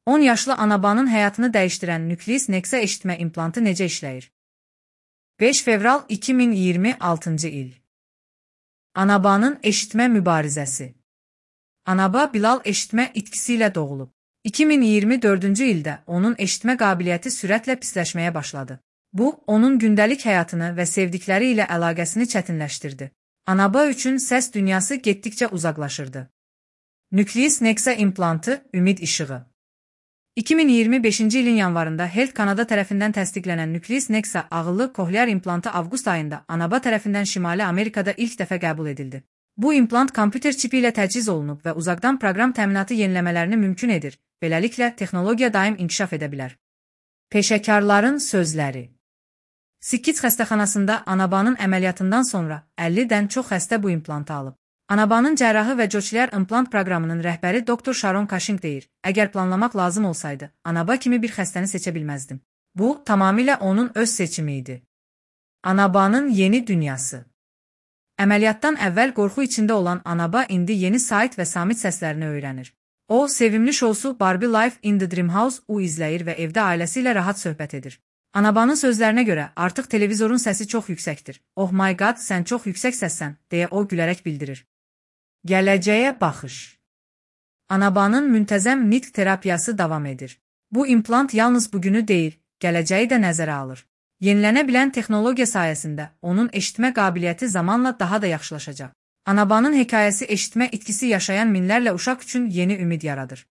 10 yaşlı Anabanın həyatını dəyişdirən Nucleus Nexa eşitmə implantı necə işləyir? 5 fevral 2026-cı il. Anabanın eşitmə mübarizəsi. Anaba Bilal eşitmə itkisi ilə doğulub. 2024-cü ildə onun eşitmə qabiliyyəti sürətlə pisləşməyə başladı. Bu, onun gündəlik həyatını və sevdikləri ilə əlaqəsini çətinləşdirdi. Anaba üçün səs dünyası getdikcə uzaqlaşırdı. Nucleus Nexa implantı, ümid işığı. 2025-ci ilin yanvarında Health Canada tərəfindən təsdiqlənən Nucleus Nexa ağıllı kohlear implantı avqust ayında Anaba tərəfindən Şimali Amerikada ilk dəfə qəbul edildi. Bu implant kompüter çipi ilə təchiz olunub və uzaqdan proqram təminatı yeniləmələrini mümkün edir. Beləliklə, texnologiya daim inkişaf edə bilər. Peşəkarların sözləri. Sikkic xəstəxanasında Anabanın əməliyyatından sonra 50-dən çox xəstə bu implantı alıb. Anabanın cərrahı və cochlear implant proqramının rəhbəri Dr. Sharon Cushing deyir, əgər planlamaq lazım olsaydı, Anaba kimi bir xəstəni seçə bilməzdim. Bu, tamamilə onun öz seçimi idi. Anabanın yeni dünyası. Əməliyyatdan əvvəl qorxu içində olan Anaba indi yeni Sait və Samit səslərini öyrənir. O, sevimli şousu Barbie Life in the Dream House-u izləyir və evdə ailəsi ilə rahat söhbət edir. Anabanın sözlərinə görə, artıq televizorun səsi çox yüksəkdir. Oh my god, sən çox yüksək səssən, deyə o gülərək bildirir. Gələcəyə baxış. Anabanın müntəzəm nitq terapiyası davam edir. Bu implant yalnız bugünü deyil, gələcəyi də nəzərə alır. Yenilənə bilən texnologiya sayəsində onun eşitmə qabiliyyəti zamanla daha da yaxşılaşacaq. Anabanın hekayəsi eşitmə itkisi yaşayan minlərlə uşaq üçün yeni ümid yaradır.